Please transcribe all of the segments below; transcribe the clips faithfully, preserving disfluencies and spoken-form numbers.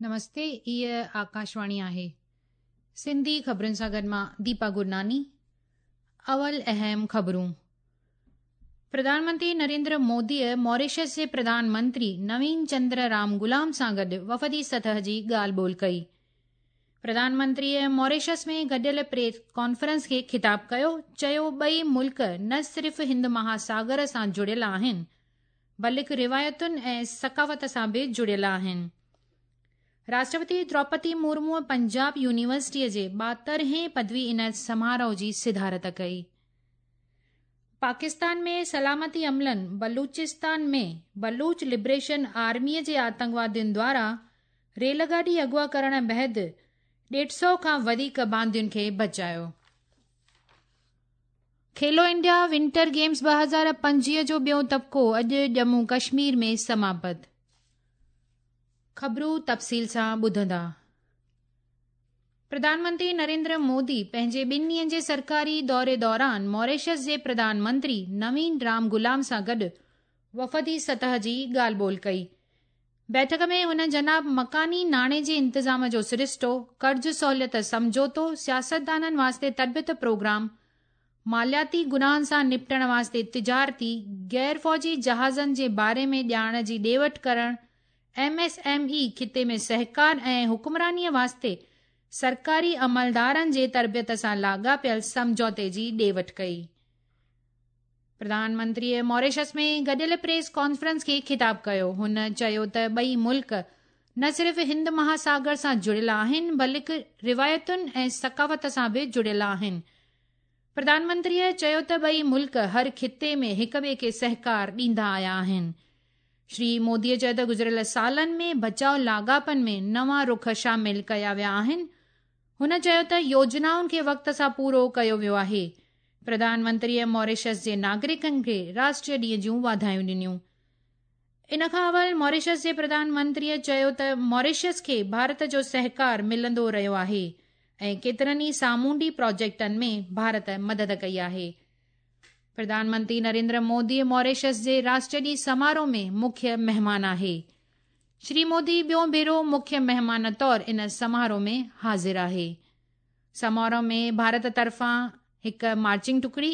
نمستي، هيءَ آڪاشواڻي آهي. سنڌي خبرن سان گڏ مان ديپا گرناني. اول اهم خبرون. پرڌان منتري نريندر موديءَ ماريشس جي پرڌان منتري نوين چندر رام غلام سان گڏ وفدي سطح جي ڳالهه ٻولهه ڪئي. پرڌان منتريءَ ماريشس ۾ گڏيل پريس ڪانفرنس کي خطاب ڪيو، چيو ٻئي ملڪ نه صرف هند مهاساگر سان جڙيل آهن، بلڪ روايتن ۽ ثقافت سان به جڙيل آهن. راشٽرپتي دروپدي مرموءَ پنجاب يونيورسٽيءَ جي ٻاهترهين پدوي عنايت سماروهه جي صدارت ڪئي. پاڪستان ۾ سلامتي عملن بلوچستان ۾ بلوچ لبريشن آرميءَ جي آتنڪوادين دواران ريل گاڏي اغوا ڪرڻ بعد ڏيڍ سؤ کان وڌيڪ باندين کي بچايو. کيلو انڊيا ونٽر گيمز ٻه هزار پنجويهه جو ٻيو طبقو اڄ ڄمون ڪشمير ۾ سماپت. خبرون تفصيل سان ٻڌندا. پرڌان منتري نريندر مودي پنهنجي ٻن ڏينهن جي سرڪاري دوري دوران ماريشس جي پرڌان منتري نوين رام غلام سان گڏ وفدي سطح جي ڳالهه ٻولهه ڪئي. بيٺڪ ۾ هن جناب مڪاني ناڻي جي انتظام جو سرشتو، قرض سهوليت سمجهوتو، سياستدانن واسطي تربيت پروگرام، مالياتي گناهن سان نپٽڻ واسطي تجارتي غير فوجي جهازن جي باري ۾ ڄاڻ جي ڏي وٺ ڪرڻ، ايم ايس ايم اي خطي ۾ سهڪار ۽ حڪمرانيءَ واسطي سرڪاري عملدارن جي تربيت سان لاڳاپيل سمجهوتي جي ڏي وٺ ڪئي. پرڌان منتريءَ ماريشس ۾ گڏيل پريس ڪانفرنس کي خطاب ڪيو. هن چيو ته ٻئي ملڪ نه صرف هند مهاساگر سان جڙيل آهن، بلڪ روايتن ۽ ثقافت سان به جڙيل آهن. پرڌان منتريءَ چيو ته ٻئي ملڪ هر خطي ۾ هڪ ٻئي کي سهڪار ڏيندا آيا آهن. شري موديءَ چيو ته گذريل سالن ۾ بچاءُ لاڳاپن ۾ نوان رخ شامل ڪيا ويا آهن. هن چيو ته يوجنائن کي وقت سان پورو ڪيو ويو آهي. پرڌان منتريءَ ماريشس جي ناگرڪن کي راشٽريه ڏينهن جون واڌايون ڏنيون. ان کان اول ماريشس جي پرڌان منتريءَ چيو ته ماريشس کي ڀارت جو سهڪار ملندو رهيو آهي ۽ ڪيترن ئي سامونڊي پروجيڪٽن ۾ ڀارت مدد ڪئي آهي. پرڌان منتري نريندر مودي ماريشس جي راشٽريه ڏينهن سماروهه ۾ مکيه مهمان آهي. شري مودي ٻيو ڀيرو مکيه مهمان طور ان سماروهه ۾ حاضر آهي. سماروهه ۾ ڀارت طرفان هڪ مارچنگ ٽڪڙي،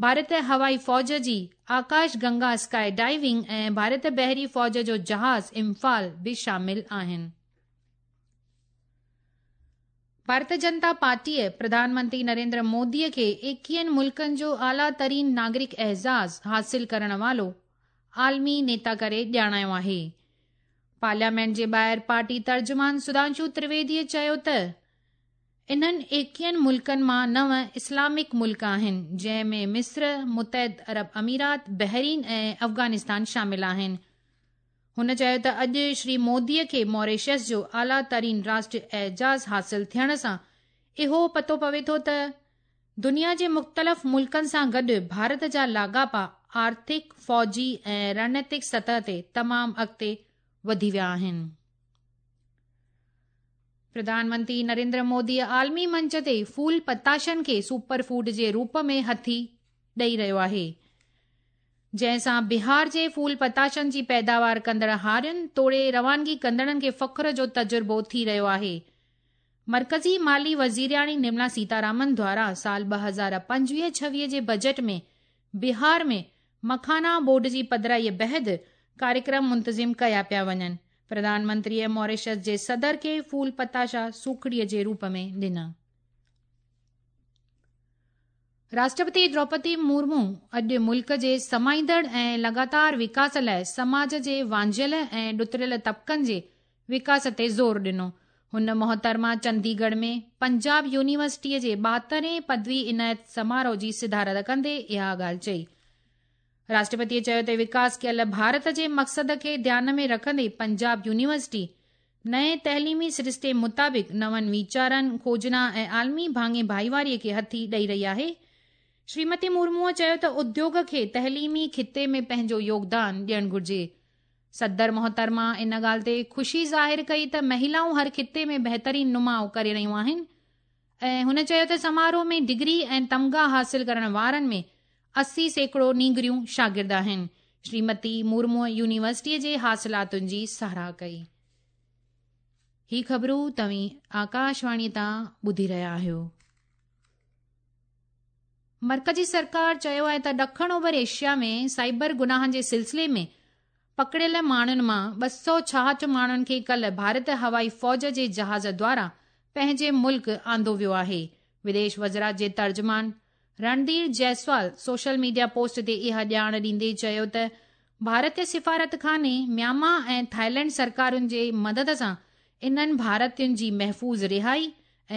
ڀارت هوائي فوج جي آڪاش گنگا اسڪائي ڊائيونگ ۽ ڀارت بحري فوج جو جهاز امفال به شامل آهن. ڀارتيه جنتا پارٽيءَ پرڌان منتري نريندر موديءَ کي ايڪويهن ملڪن جو اعليٰ ترين ناگرڪ اعزاز حاصل ڪرڻ وارو عالمي نيتا ڪري ڄاڻايو آهي. پارليامينٽ جي ٻاهر پارٽي ترجمان سڌانشو ترويديءَ چيو ته انهن ايڪويهن ملڪن مان نو اسلامڪ ملڪ آهن، جنهن ۾ مصر، متحده عرب امارات، بحرين ۽ افغانستان شامل آهن. هن چيو ته اڄ شري موديءَ کي ماريشس جو اعليٰ ترين راشٽريه اعزاز حاصل ٿيڻ سان اهو پتو پوي ٿو ته دنيا جي مختلف ملڪن سان گڏ ڀارت جا لاڳاپا آرٿڪ، فوجي ۽ رڻنيتڪ سطح تي تمام اڳتي وڌي ويا آهن. پرڌان منتري نريندر مودي عالمي منچ تي ڦول پتاشن کي سپر فوڊ جي روپ ۾ هٿي ڏئي رهيو آهي، جنهن سان بهار جي ڦول پتاشن جي پيداوار ڪندڙ هارين توڙي روانگي ڪندڙن کي فخر جو تجربو ٿي رهيو آهي. مرڪزي مالي وزيرياڻي نرملا سيتارامن دواران سال ٻه هزار پنجويهه ڇويهه جي بجيٽ ۾ بهار ۾ مکانا بورڊ جي پڌرائيءَ بعد ڪاريڪرم منتظم ڪيا پيا وڃن. پرڌان منتريءَ ماريشس جي صدر کي ڦول پتاشا سوکڙيءَ جي روپ ۾ ڏنا. راشٽرپتي دروپدي مرمو اڄ ملڪ جي سمائيندڙ ۽ لڳاتار وڪاس لاءِ سماج جي وانجهيل ۽ ڏتڙيل طبقن جي وڪاس تي زور ڏنو. هن محترمه چنديڳڙهه ۾ پنجاب يونيورسٽيءَ جي ٻاهترهين پدوي عنايت سماروهه جي صدارت ڪندي اها ڳالهه چئي. راشٽرپتيءَ چيو ته وڪاس ڪيل ڀارت جي مقصد کي ڌيان ۾ رکندي پنجاب يونيورسٽي نئين تعليمي سرشتي مطابق نون ويچارن، کوجنا ۽ عالمي ڀاڱي ڀائيواريءَ کي هٿي ڏئي رهي آهي. شريمتي مرموءَ چيو ته اديوگ کي تعليمي خطي ۾ پنهنجو يوگدان ڏيڻ گهرجي. صدر محترمه ان ڳالهه تي خوشي ظاهر ڪئي ته مهلائون هر خطي ۾ بهترين نماءُ ڪري رهيون آهن ۽ هن چيو ته سماروهه ۾ ڊگري ۽ تمغا حاصل ڪرڻ وارن ۾ اسي سيڪڙو نينگريون شاگرد آهن. شريمتي مرموءَ يونيورسٽيءَ جي حاصلاتن جي ساراهه ڪئي. هي خبرون توهين آڪاشواڻي تان ٻڌي رهيا آهيو. مرڪزي سرڪار چيو آهي ته ڏکڻ اوڀر ايشيا ۾ سائبر گناهن جي سلسلي ۾ پڪڙيل ماڻهن مان ٻه سؤ ڇاهٺ ماڻهن کي ڪلهه ڀارت هوائي فوج جي جهاز دوارا پنهنجي ملڪ آندو ويو آهي. وديش وزارت جي ترجمان Randhir Jaiswal social media post تي اها ڄاڻ ڏيندي چيو ته ڀارتي سفارتخاني ميانما ۽ ٿائيلينڊ سرڪارن جي مدد سان انهن ڀارتين جي محفوظ رهائي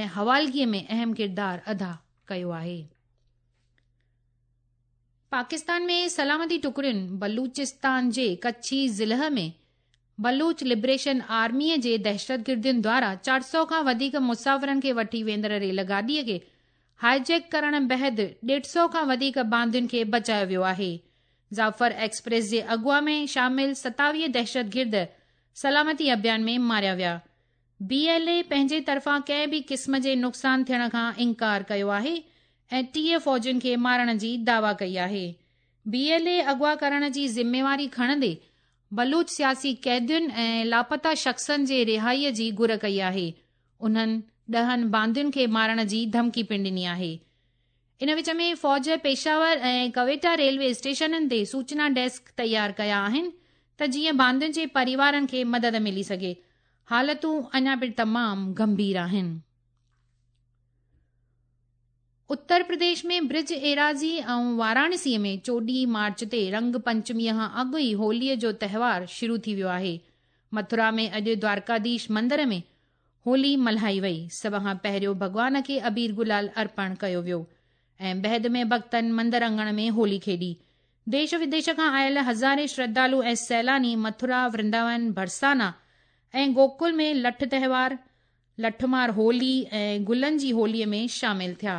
۽ حوالگي ۾ اهم ڪردار ادا ڪيو آهي. پاڪستان ۾ سلامتي ٽڪڙين بلوچستان جي ڪڇي ضلع ۾ بلوچ لبريشن آرميء جي دهشتگردن دوارا چار سؤ کان وڌيڪ مسافرن کي وٺي ويندڙ ريل گاڏيء کي هائيجيڪ ڪرڻ بعد ڏيڍ سؤ کان وڌيڪ باندين کي بچايو ويو آهي. جعفر ايڪسپريس جي اغوا ۾ شامل ستاويهه دهشتگرد سلامتي اڀيان ۾ ماريا ويا. بي ايل اي پنهنجي طرفان ڪنهن به قسم جي نقصان ٿيڻ کان انڪار ڪيو آهي ۽ ٽيهه فوجين کي مارڻ جي دعويٰ ڪئي آهي. بي ايل اي اغوا ڪرڻ جي ذميواري کڻندي بلوچ سياسي قيدين ۽ لاپتا شخصن جي رهائيء جي گهر ڪئي آهي. انهن ڏهن باندين کي مارڻ جي ڌمڪي پڻ ڏني آهي. ان وچ ۾ فوج پيشاور ۽ ڪوئيٽا ريلوي اسٽيشنن تي سوچنا ڊيسڪ تيار ڪيا آهن ته جيئن باندين جي پريوارن کي مدد ملي سگهي. حالتون اڃا به تمام گنڀير آهن. اتر پرديش ۾ برج ايراضي ۽ واراڻسي ۾ چوڏهين مارچ تي رنگ پنچميء کان اڳ ئي هوليء جو تهوار شروع ٿي ويو آهي. مٿرا ۾ اڄ دوارڪاڌيش مندر ۾ هولي ملهائي وئي. سڀ کان پهريون ڀڳوان کي ابير گلال ارپڻ ڪيو ويو ۽ بعد ۾ ڀڳتن مندر اڱڻ ۾ هولي کيڏي. ديش وديش کان آيل هزارين شرڌالو ۽ سيلاني مٿرا، ورنداون، برسانا ۽ گوڪل ۾ لٺ تهوار، لٺمار هولي ۽ گلن جي هوليء ۾ شامل ٿيا.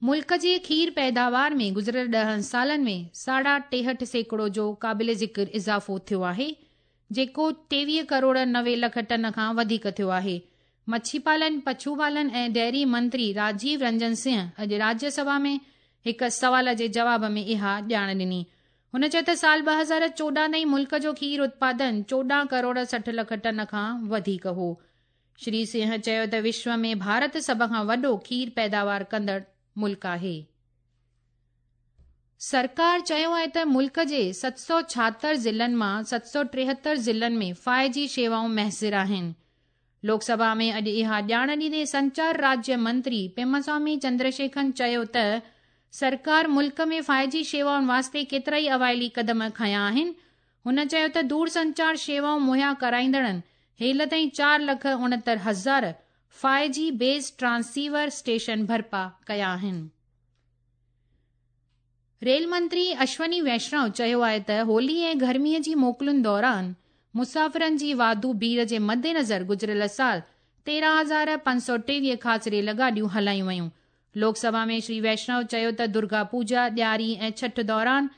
ملڪ جي کير پيداوار ۾ گذريل ڏهن سالن ۾ ساڍا ٽيهٺ سيڪڙو جو قابل ذڪر اضافو ٿيو آهي، جيڪو ٽيويهه ڪروڙ نوي لک ٽن کان وڌيڪ ٿيو آهي. مڇي پالن، پشو پالن ۽ ڊيري منتري راجيو رنجن سنگهه اڄ راجيه سڀا ۾ هڪ سوال جي جواب ۾ اها ڄاڻ ڏني. هن چيو ته سال ٻه هزار چوڏهن تائين ملڪ جو کير اتپادن چوڏهن ڪروڙ سٺ لک ٽن کان وڌيڪ هو. شري سنگهه چيو ته وشو ۾ ڀارت سڀ کان وڏو کير پيداوار ڪندڙ ملڪ آهي. سرڪار چيو آهي ته ملڪ جي ست سؤ ڇاهتر ضلعن مان ست سؤ ٽيهتر ضلعن ۾ فائيو جي شيوائون ميسر آهن. لوڪ سڀا ۾ اڄ اها ڄاڻ ڏيندي سنچار راجيه منتري پيماسوامي چندرشيکرن چيو ته سرڪار ملڪ ۾ فائيو جي شيوائن واسطي ڪيترائي اوائلي قدم کنيا آهن. هن چيو ته دور سنچار شيوائون مهيا ڪرائيندڙن هيل تائين چار لک اڻهتر هزار five G base transceiver station برپا ڪيا آهن. ريل منتري اشوني ويشنو چيو آهي ته هولي ۽ گرميء جي موڪلن دوران مسافرن جي واڌو ڀيڙ جي مدنظر گذريل سال تيرهن هزار پنج سؤ ٽيويهه خاص ريل گاڏيون هلايون ويون. لوڪ سڀا ۾ شري ويشنو چيو ته درگا پوڄا، ڏياري ۽ ڇٺ دوران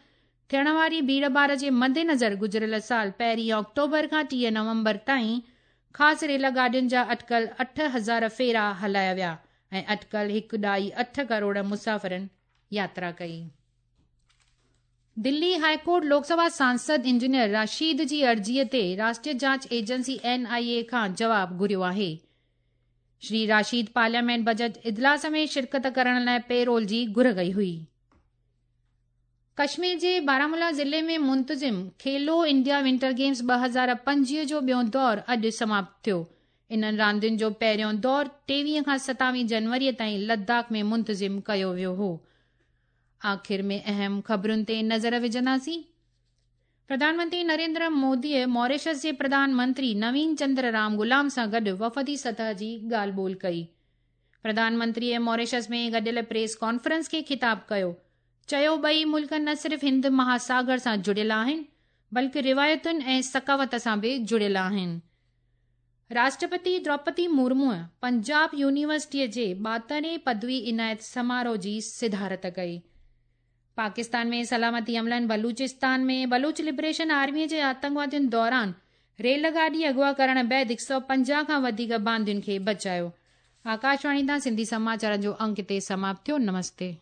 ٿيڻ واري ڀيڙ ڀاڙ جي مدنظر گذريل سال پهرين آڪٽوبر کان ٽيهه نومبر تائين خاص ريل گاڏين جا اٽڪل اٺ هزار ڦيرا هلايا ويا ۽ اٽڪل هڪ ڏهائي اٺ ڪروڙ مسافرن ياترا ڪئي. دلي هاء ڪورٽ لوڪ سڀا سانسد انجنيئر راشيد جي عرضيء تي راشٽريه جاچ ايجنسي اين آء اي کان جواب گهريو آهي. شري راشيد پارليامينٽ بجيٽ اجلاس ۾ شرڪت ڪرڻ لاءِ پيرول جي گهر ڪئي هئي. ڪشمير جي بارامولا ضلعي ۾ منتظم کيلو انڊيا ونٽر گيمز ٻه هزار پنجويهه جو ٻيون دور اڄ سماپت ٿيو. انهن راندين جو پهريون دور ٽيويهه کان ستاويهه جنوريء تائين لداخ ۾ منتظم ڪيو ويو هو. آخر ۾ اهم خبرن تي نظر وجهنداسين. پرڌان منتري نريندر موديء ماريشس جي پرڌان منتري نوين چندر رام غلام سان گڏ وفدي سطح جي ڳالهه ٻولهه ڪئي. پرڌان منتريء ماريشس ۾ گڏيل پريس ڪانفرنس کي خطاب ڪيو. چيو ٻئي ملڪ نه صرف هند مهاساگر سان جڙيل آهن بلڪه روايتن ۽ ثقافت سان به جڙيل آهن. راشٽرپتي دروپدي مرموءَ پنجاب يونيورسٽيءَ جي ٻاهترهين پدوي عنايت سماروهه جي صدارت ڪئي. پاڪستان ۾ سلامتي عملن بلوچستان ۾ بلوچ لبريشن آرميءَ جي آتنڪوادين دوران ريل گاڏي اغوا ڪرڻ بعد هڪ سؤ پنجاهه کان وڌيڪ باندين کي بچايو. آڪاشواڻي تان سنڌي سماچارن جو انڪ هتي سماپت ٿيو. نمستي.